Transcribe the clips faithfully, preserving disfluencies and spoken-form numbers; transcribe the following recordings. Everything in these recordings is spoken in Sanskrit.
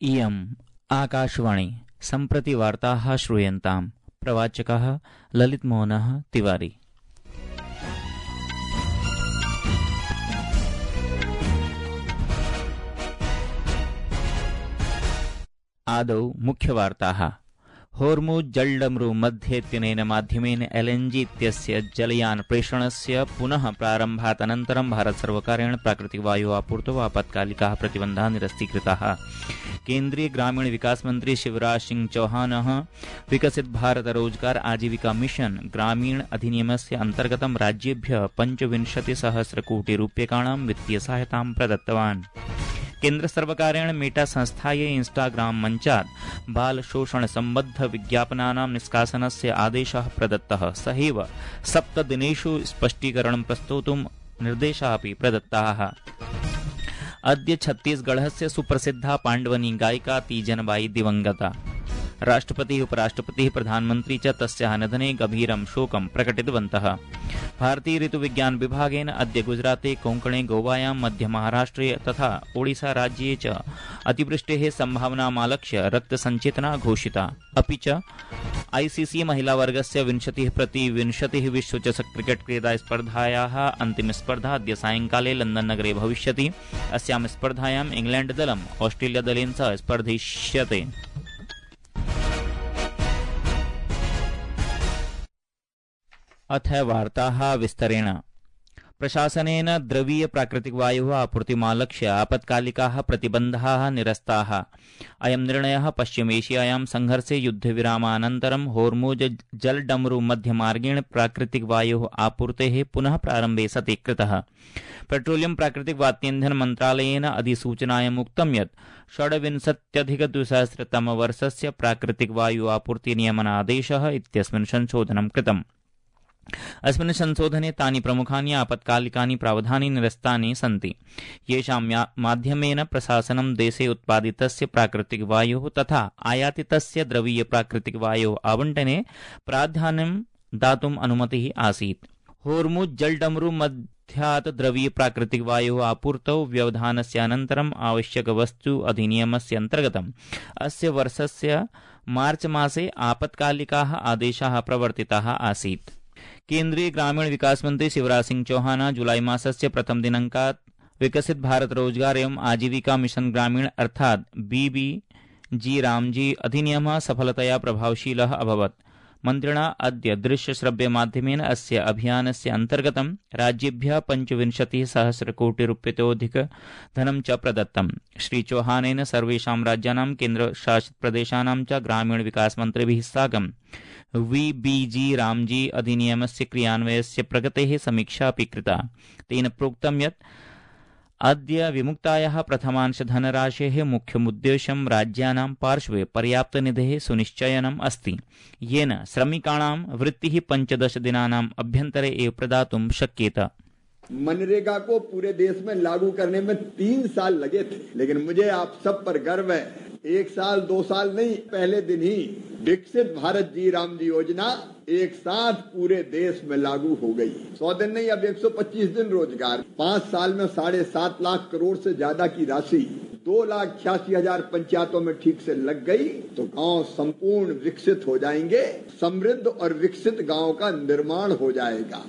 इयम् आकाशवाणी सम्प्रति वार्ताः श्रूयन्ताम्। प्रवाचकः ललितमोहनः तिवारी। आदौ मुख्यवार्ताः। होर्मुज् जलडमरु मध्येत्यनेन माध्यमेन एलएनजी इत्यस्य जलयान प्रेषणस्य पुनः प्रारम्भात् अनन्तरं भारतसर्वकारेण प्राकृतिकवायोः आपूर्तौ आपत्कालिकाः प्रतिबन्धाः निरस्तीकृताः। केन्द्रीय ग्रामीण विकास मंत्री शिवराज सिंह चौहानः विकसित भारत रोजगार आजीविका मिशन ग्रामीण अधिनियमस्य अन्तर्गतं राज्येभ्यः पञ्चविंशतिसहस्रकोटिरूप्यकाणां वित्तीयसहायतां प्रदत्तवान्। केन्द्रसर्वकारेण मेटा संस्थायै इंस्टाग्राम मञ्चात् बालशोषणसम्बद्ध विज्ञापनानां निष्कासनस्य आदेशः प्रदत्तः। सहैव सप्तदिनेषु स्पष्टीकरणं प्रस्तोतुं निर्देशाः अपि प्रदत्ताः। अद्य छत्तीसगढ़स्य सुप्रसिद्धा पाण्डवनी गायिका तीजनबाई दिवंगता। राष्ट्रपतिः, उपराष्ट्रपतिः, प्रधानमन्त्री च तस्याः निधने गभीरं शोकं प्रकटितवन्तः। भारतीय ऋतुविज्ञान विभागेन अद्य गुजराते, कोङ्कणे, गोवायां, मध्यमहाराष्ट्रे तथा ओडिसा राज्ये च अतिवृष्टेः सम्भावनामालक्ष्य रक्तसञ्चेतना घोषिता। अपि च आईसीसी महिलावर्गस्य विंशतिः प्रति विंशतिः विश्वचषक क्रिकेट क्रीडा स्पर्धायाः अन्तिमस्पर्धा अद्य सायंकाले लंदन नगरे भविष्यति। अस्यां स्पर्धायाम् इंग्लैण्ड दलम् ऑस्ट्रेलिया दलेन सह स्पर्धिष्यते। अथ वार्ताः विस्तरेण। प्रशासनेन द्रवीय प्राकृतिकवायोः आपूर्तिमालक्ष्य आपत्कालिकाः प्रतिबन्धाः निरस्ताः। अयं निर्णयः पश्चिमेशियायां संघर्षे युद्धविरामानन्तरं होर्मुज् जलडमरु मध्यमार्गेण प्राकृतिकवायोः आपूर्तेः पुनः प्रारम्भे सति कृतः। पेट्रोलियम प्राकृतिक वात्यन्धन मन्त्रालयेन अधिसूचनायाम् उक्तं यत् षड्विंशत्यधिकद्विसहस्रतमवर्षस्य प्राकृतिकवायु आपूर्ति नियमनादेशः इत्यस्मिन् संशोधनं कृतम्। अस्मिन् संशोधने तानि प्रमुखानि आपत्कालिकानि प्रावधानानि निरस्तानि सन्ति, येषां माध्यमेन प्रशासनं देशे उत्पादितस्य प्राकृतिकवायोः तथा आयातितस्य द्रवीय प्राकृतिकवायोः आवण्टने प्राधान्यं दातुम् अनुमतिः आसीत्। होर्मुज् जलडमरु मध्यात् द्रवीय प्राकृतिकवायोः आपूर्तौ व्यवधानस्य अनन्तरम् आवश्यकवस्तु अधिनियमस्य अन्तर्गतम् अस्य वर्षस्य मार्च मासे आपत्कालिकाः आदेशाः प्रवर्तिताः आसीत्। केन्द्रीय ग्रामीण विकास मंत्री शिवराज सिंह चौहान जुलाई मासस्य प्रथम दिनांकात् विकसित भारत रोजगार एवं आजीविका मिशन ग्रामीण अर्थात बीबीजी रामजी अधिनियमः सफलतया प्रभावशीलः अभवत्। मन्त्रिणा अद्य दृश्यश्रव्य माध्यमेन अस्य अभियानस्य अन्तर्गतं राज्येभ्यः पञ्चविंशतिः सहस्रकोटिरूप्यतोऽधिक धनं च प्रदत्तम्। श्री चौहानेन सर्वेषां राज्यानां केन्द्रशासित प्रदेशानां च ग्रामीण विकास मन्त्रिभिः साकं वीबीजी रामजी अधिनियमस्य क्रियान्वयस्य प्रगतेः समीक्षा अपि कृता। तेन प्रोक्तं यत् अद्य विमुक्तायाः प्रथमांश धनराशेः मुख्यमुद्देश्यं राज्यानां पार्श्वे पर्याप्तनिधेः सुनिश्चयनम् अस्ति, येन श्रमिकाणां वृत्तिः पञ्चदश दिनानाम् अभ्यन्तरे एव प्रदातुं शक्येत। मनरेगा को पूरे देश में लागू करने में तीन साल लगे थे, लेकिन मुझे आप सब पर गर्व है, एक साल दो साल नहीं, पहले दिन ही विकसित भारत जी राम जी योजना एक साथ पूरे देश में लागू हो गई। सौ दिन नहीं, अब एक सौ पच्चीस दिन रोजगार। पाँच साल में साढ़े सात लाख करोड़ से ज्यादा की राशि दो लाख छियासी हजार पंचायतों में ठीक से लग गई तो गांव संपूर्ण विकसित हो जाएंगे। समृद्ध और विकसित गांव का निर्माण हो जाएगा।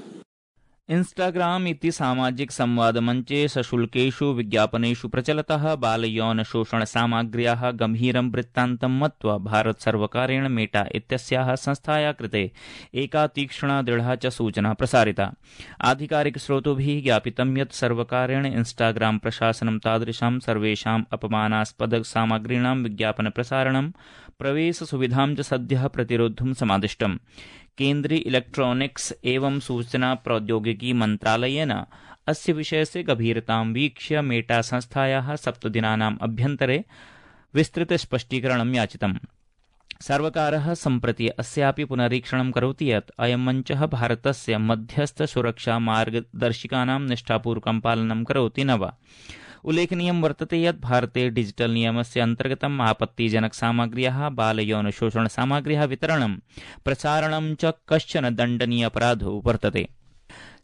इंस्टाग्राम इति सामाजिक संवाद मंचे सशुल्केषु विज्ञापनेषु प्रचलतः बालयौन शोषण सामग्र्याः गंभीरं वृत्तान्तं मत्वा भारत सर्वकारेण मेटा इत्यस्याः संस्थायाः कृते एका तीक्ष्णा दृढा च सूचना प्रसारिता। आधिकारिक स्रोतोभिः ज्ञापितं यत् सर्वकारेण इंस्टाग्राम प्रशासनं तादृशां सर्वेषाम् अपमानास्पद सामग्रीणां विज्ञापन प्रसारणं प्रवेश सुविधां च सद्यः प्रतिरोद्धुं समादिष्टम्। केन्द्रीय इलेक्ट्रॉनिक्स एवं सूचना प्रौद्योगिकी मन्त्रालयेन अस्य विषयस्य गभीरतां वीक्ष्य मेटा संस्थायाः सप्तदिनानाम् अभ्यन्तरे विस्तृत स्पष्टीकरणं याचितम्। सर्वकारः सम्प्रति अस्यापि पुनरीक्षणं करोति यत् अयं मञ्चः भारतस्य मध्यस्थ सुरक्षा मार्गदर्शिकानां निष्ठापूर्वकं पालनं करोति न वा। उल्लेखनीयं वर्तते यत् भारते डिजिटल नियमस्य अन्तर्गतम् आपत्तिजनक सामग्र्याः बालयौन शोषण सामग्र्याः वितरणं प्रसारणं च कश्चन दण्डनीय अपराधो वर्तते।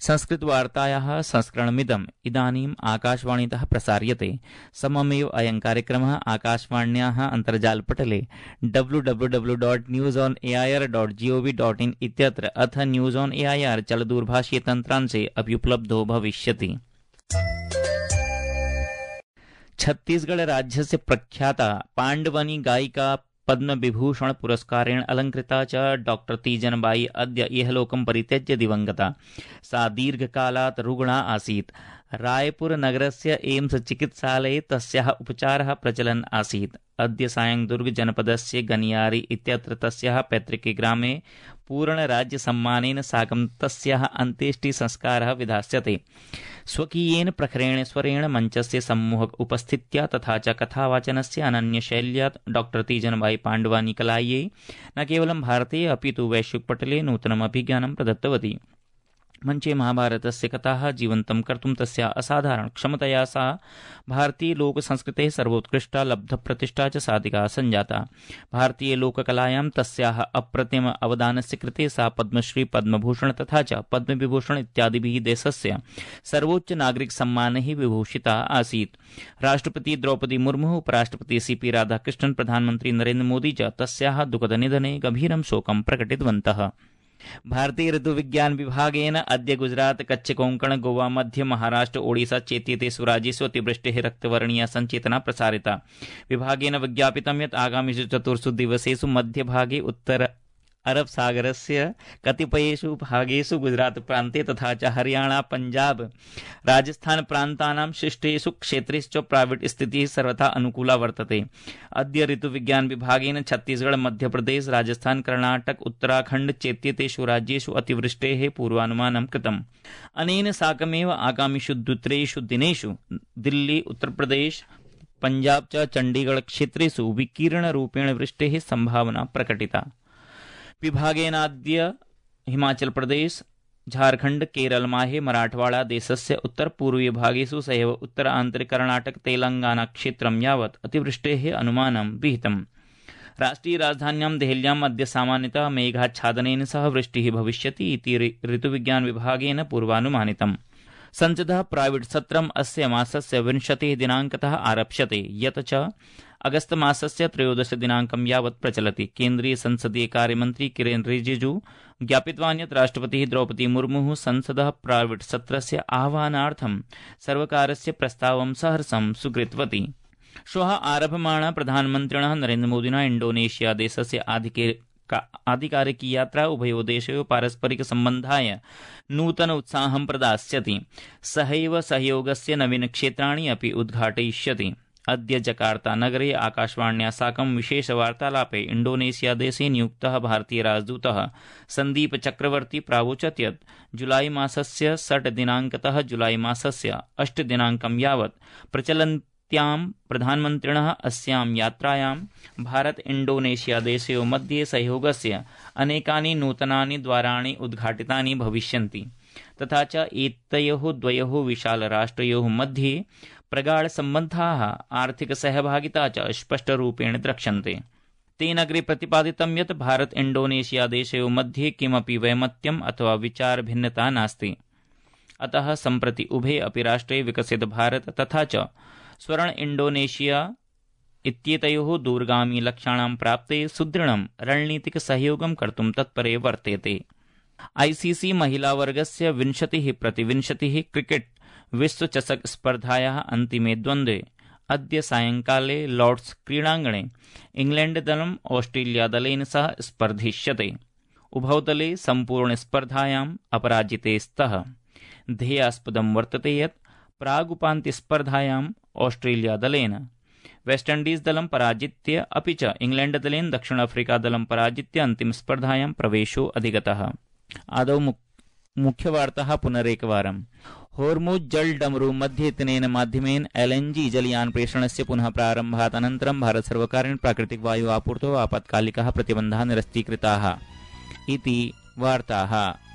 संस्कृतवार्तायाः संस्करणमिदम् इदानीम् आकाशवाणीतः प्रसार्यते। सममेव अयं कार्यक्रमः आकाशवाण्याः अन्तर्जालपटले W W W dot news on A I R dot G O V dot in इत्यत्र अथ news on A I R चलदूरभाषीय तन्त्रांशे अपि उपलब्धो भविष्यति। छत्तीसगढ़ राज्यस्य प्रख्याता पाण्डवनी गायिका पद्मविभूषण पुरस्कारेण अलङ्कृता च डॉक्टर तीजनबाई अद्य इहलोकं परित्यज्य दिवङ्गता। सा दीर्घकालात् रुग्णा आसीत्। रायपुर नगरस्य एम्स चिकित्सालये तस्याः उपचारः प्रचलन् आसीत्। अद्य सायं दुर्ग जनपदस्य गनियारी इत्यत्र तस्याः पैतृके ग्रामे पूर्णराज्यसम्मानेन साकं तस्याः अन्त्येष्टिसंस्कारः विधास्यते। स्वकीयेन प्रखरेण स्वरेण मञ्चस्य सम्मोहक उपस्थित्या तथा च कथावाचनस्य अनन्यशैल्या डॉक्टर तीजनबाई पाण्डवानी कलायै न केवलं भारते अपि तु वैश्विकपटले नूतनम् अभिज्ञानं प्रदत्तवती। मञ्चे महाभारतस्य कथाः जीवन्तं कर्तुं तस्या असाधारण क्षमतया सा भारतीयलोकसंस्कृतेः सर्वोत्कृष्टा लब्धप्रतिष्ठा च साधिका सञ्जाता। भारतीयलोककलायां तस्याः अप्रतिम अवदानस्य कृते सा पद्मश्री पद्मभूषण तथा च पद्मविभूषण इत्यादिभिः देशस्य सर्वोच्च नागरिकसम्मानैः विभूषिता आसीत्। राष्ट्रपति द्रौपदी मुर्मुः, उपराष्ट्रपति सी पी राधाकृष्णन्, प्रधानमन्त्री नरेन्द्र मोदी च तस्याः दुःखदनिधने गभीरं शोकं प्रकटितवन्तः। भारतीय ऋतुविज्ञान विभागेन अद्य गुजरात, कच्छ, कोंकण, गोवा, मध्य महाराष्ट्र, ओडिशा चेत्येतेषु राज्येषु अतिवृष्टेः रक्तवर्णीया सञ्चेतना प्रसारिता। विभागेन विज्ञापितं यत् आगामिषु चतुर्षु दिवसेषु मध्यभागे उत्तर अरब सागरस्य कतिपयेषु भागेषु गुजरात प्रान्ते तथा च हरियाणा, पंजाब, राजस्थान प्रान्तानां शिष्टेषु क्षेत्रेषु प्राइवेट स्थितिः सर्वथा अनुकूला वर्तते। अद्य ऋतुविज्ञान विभागेन छत्तीसगढ़, मध्यप्रदेश, राजस्थान, कर्णाटक, उत्तराखण्ड चेत्येतेषु राज्येषु अतिवृष्टेः पूर्वानुमानं कृतम्। अनेन साकमेव आगामिषु द्वित्रेषु दिनेषु दिल्ली, उत्तरप्रदेश, पंजाब च चण्डीगढ़ क्षेत्रेषु विकीर्णरूपेण वृष्टेः सम्भावना प्रकटिता। विभागेनाद्य हिमाचल प्रदेश, झारखंड, केरल, माहे, मराठवाड़ा देशस्य उत्तरपूर्वीय भागेषु सहैव उत्तर आन्तरिक कर्णाटक, तेलंगाना क्षेत्रं यावत् अतिवृष्टेः अनुमानं विहितम्। राष्ट्रिय राजधान्यां देहल्याम् अद्य सामान्यतः मेघाच्छादनेन सह वृष्टिः भविष्यति इति ऋतुविज्ञान विभागेन पूर्वानुमानितम्। संसदः प्राइवेट सत्रम् अस्य मासस्य विंशतिः दिनाङ्कतः आरप्स्यते, यत् च अगस्त मासस्य त्रयोदश दिनाङ्कं यावत् प्रचलति। केन्द्रीय संसदीय कार्यमन्त्री किरेन रिजिजू ज्ञापितवान् यत् राष्ट्रपतिः द्रौपदी मुर्मुः संसदः प्राइवेट सत्रस्य आह्वानार्थं सर्वकारस्य प्रस्तावं सहर्षं स्वीकृतवती। श्वः आरभमाणा प्रधानमन्त्रिणः नरेन्द्रमोदिना इण्डोनेशिया देशस्य आधिकारिकी यात्रा उभयोः देशयोः पारस्परिकसम्बन्धाय नूतन उत्साहं प्रदास्यति। सहैव सहयोगस्य नवीनक्षेत्राणि अपि उद्घाटयिष्यति। अद्य जकार्ता नगरे आकाशवाण्या साकं विशेषवार्तालापे इण्डोनेशिया देशे नियुक्तः भारतीय राजदूतः सन्दीप चक्रवर्ती प्रावोचत् यत् जुलाई मासस्य षट् दिनाङ्कतः जुलाई मासस्य अष्ट दिनाङ्कं यावत् प्रचलन्त्यां प्रधानमन्त्रिणः अस्यां यात्रायां भारत इण्डोनेशिया देशयोः मध्ये सहयोगस्य अनेकानि नूतनानि द्वाराणि उद्घाटितानि भविष्यन्ति तथा च एतयोः द्वयोः विशालराष्ट्रयोः मध्ये प्रगाढ सम्बन्धाः, आर्थिक सहभागिता च स्पष्टरूपेण द्रक्ष्यन्ते। तेन अग्रे प्रतिपादितं यत् भारत इण्डोनेशिया देशयोः मध्ये किमपि वैमत्यम् अथवा विचारभिन्नता नास्ति। अतः सम्प्रति उभे अपि राष्ट्रे विकसित भारत तथा च स्वर्ण इण्डोनेशिया इत्येतयोः दूरगामी लक्ष्याणां प्राप्ते सुदृढं रणनीतिक सहयोगं कर्तुं तत्परे वर्तेते। आईसीसी महिलावर्गस्य विंशतिः प्रति विंशतिः क्रिकेट विश्वचषक स्पर्धायाः अन्तिमे द्वन्द्वे अद्य सायंकाले लॉर्ड्स क्रीडाङ्गणे इंग्लैंड दलम् ऑस्ट्रेलिया दलेन सह स्पर्धिष्यते। उभौ दले सम्पूर्णस्पर्धायाम् अपराजिते स्तः। ध्येयास्पदं वर्तते यत् प्रागुपान्त्यस्पर्धायाम् ऑस्ट्रेलिया दलेन वेस्टइण्डीज दलं पराजित्य अपि च इंग्लैंड दलेन दक्षिण अफ्रीका दलं पराजित्य अन्तिमस्पर्धायां प्रवेशो अधिगतः। आदौ मुख्यवार्ताः पुनरेकवारम्। होर्मुज जल डमरू मध्ये इत्यनेन माध्यमेन एलएनजी जलयान प्रेषणस्य पुनः प्रारम्भात् अनन्तरं भारत सर्वकारेण प्राकृतिक वायु आपूर्तौ आपत्कालिकाः प्रतिबन्धाः निरस्तीकृताः इति वार्ताः।